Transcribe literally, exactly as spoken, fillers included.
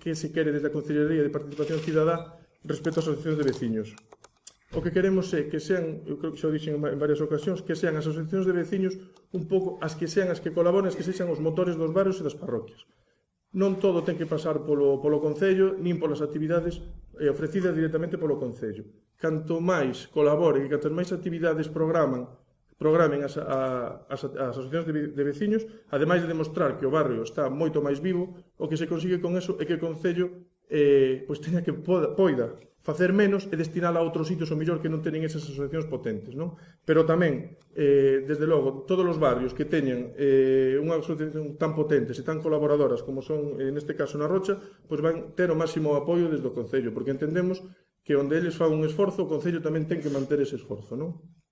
que se quere desde a Concellería de Participación Cidadá respecto ás asociacións de veciños. O que queremos é que sean, eu creo que xa o dixen en varias ocasións, que sean as asociacións de veciños un pouco as que sean as que colaboren, as que sexan os motores dos barrios e das parroquias. Non todo ten que pasar polo, polo Concello, nin polas actividades eh, ofrecidas directamente polo Concello. Canto máis colaboren e canto máis actividades programan programen as, a, as, as asociacións de, de veciños, ademais de demostrar que o barrio está moito máis vivo, o que se consigue con eso é que o Concello eh, pois teña que poda, poida facer menos e destinala a outros sitios o mellor que non teñen esas asociacións potentes, non? Pero tamén, eh, desde logo, todos os barrios que teñen eh, unha asociación tan potentes e tan colaboradoras como son, eh, neste caso, na Rocha, pois van ter o máximo apoio desde o Concello, porque entendemos que onde eles fan un esforzo, o Concello tamén ten que manter ese esforzo, non?